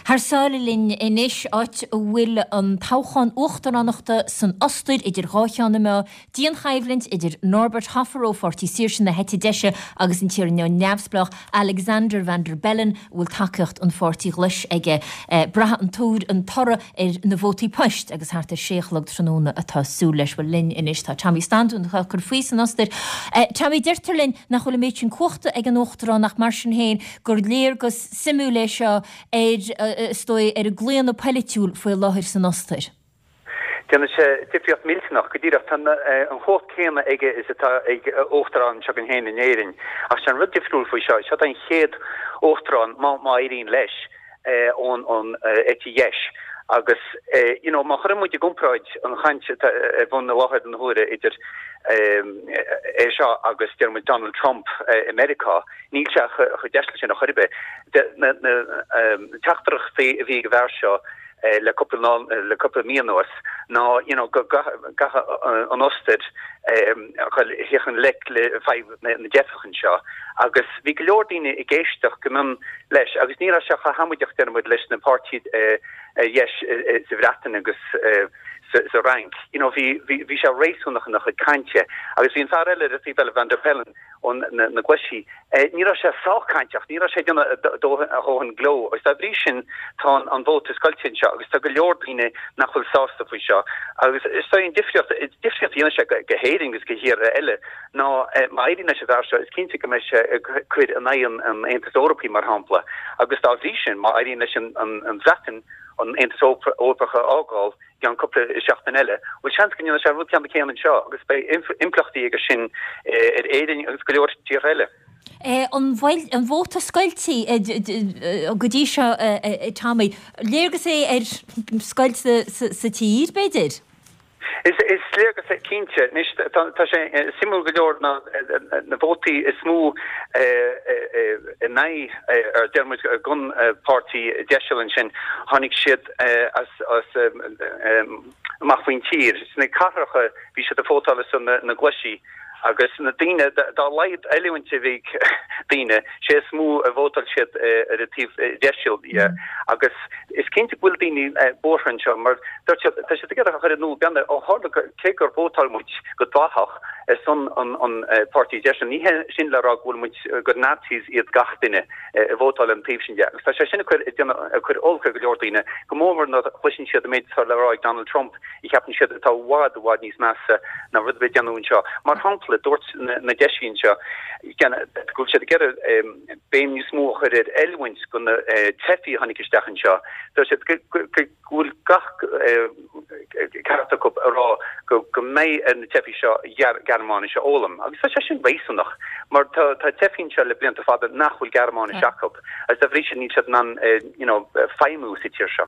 Thar sáile linn anois, áit a bhfuil an toghchán uachtaránachta san Ostair idir dhá cheann na meá, dianchoimhlint idir Norbert Hofer ó Pháirtí Saoirse na heite deise agus an t-iar neamhspleách Alexander Van der Bellen a bhfuil tacaíocht an Pháirtí Ghlais aige. Braithfidh an tuar an toradh ar na vótaí poist agus thart ar sé a chlog tráthnóna atá súil leis. Bhuel linn anois tá Tommy Staunton atá ag cur faoi san Ostair. Tommy, deirtear linn nach bhfuil an méid sin cumhachta ag an Uachtarán ach mar sin féin gur léargas suimiúil é seo ar, is dóigh, ar an gclaonadh polaitiúil faoi láthair san Ostair. Déanann sé difríocht millteanach. Go díreach, tá an chumhacht céanna aige is atá ag Uachtarán s'againn féin in Éirinn. Ach sé an rud difriúil faoi seo, seo é an chéad Uachtarán, má éiríonn leis, ón eite dheis. Agus, you know, má chuireann muid i gcomparáid an chaint atá ar bun i láthair na huaire idir é seo agus, deir muid, Donald Trump i Meiriceá, níl sé chomh deiseal sin ar chor ar bith. Na teachtaireachtaí a bhí ag an bhfear seo, le cúpla le cúpla mí anuas ná you know go gcaithfidh an Ostair dhul i ngleic le fadhb na dteifeach anseo agus bhí go leor daoine ag éisteacht go mion leis agus ní raibh sé chomh hamaideach deir muid leis na páirtithe dheis sa Bhreatain agus sa Fhrainc. You know bhí bhí sé réasúnach ina chuid cainte agus bhí an fear eile ar an taobh eile Van der Bellen ó na Glaisí. Ní raibh sé sách cainteach, ní raibh sé ag déanamh a dhóthain gleo agus dá bhrí sin tá an vóta scoilte anseo agus tá go leor daoine nach bhfuil sásta faoi seo. Agus is dóigh an difríocht, difríocht a dhéanann sé go hÉirinn agus go thíortha eile ná má éiríonn leis an bhfear seo is cinnte go mbeidh sé ag cur in aghaidh an Aontais Eorpaigh mar shampla agus dá bhrí sin má éiríonn leis an Bhreatain an Aontas Eorpach a fhágáil, i gceann cúpla seachtain eile. Bhuel, seans go ndéanfaidh sé an rud ceannann céanna anseo agus beidh impleachtaí aige sin ar Éirinn agus go leor tíortha eile. An bhfuil an vóta scoilte go dtí seo, a Tommy? Léargas é ar scoilt sa tír, b'fhéidir? Is léargas é, cinnte. Anois, tá sé suimiúil go leor ná na vótaí is mó in aghaidh, ar deir muid, don pháirtí deiseal ansin, tháinig siad as amach faoin tír. Sna cathracha bhí siad ag vótáil ar son na Glaisí agus na daoine, dá laghad oiliúint a bhí ag daoine, sé is mó a vótáil siad ar an taobh deiseal dhe. Agus is cinnte go bhfuil daoine buartha anseo mar dúirt siad, tá siad ag iarraidh a chur in iúl, beanna, ó tharla cé gur vótáil muid go dleathach ar son an páirtí deiseal, ní hé sin le rá go bhfuil muid, gur Nazis iad gach duine. a vótáil an taobh sin de. Agus tá sé sin ag cur, ag déanamh, ag cur olc ar go leor daoine, go mór mór nuair a chloiseann siad an méid atá le rá ag Donald Trump, a cheapann siad atá i bhfad, i bhfad níos measa ná rud ar bith a déanadh anseo. Mar shampla, dúirt na deisí anseo go bhfuil siad ag iarraidh béim níos mó a chur ar oiliúint do na teifigh a tháinig isteach anseo. Dúirt siad go. go bhfuil gach ceart acu a rá go mbeidh ar na teifigh seo Gearmáinis a fhoghlaim. Agus tá sé sin réasúnach, mar tá teifigh anseo le blianta fada nach bhfuil Gearmáinis acu, agus dá bhrí sin níl siad in ann you know feidhmiú sa tír seo.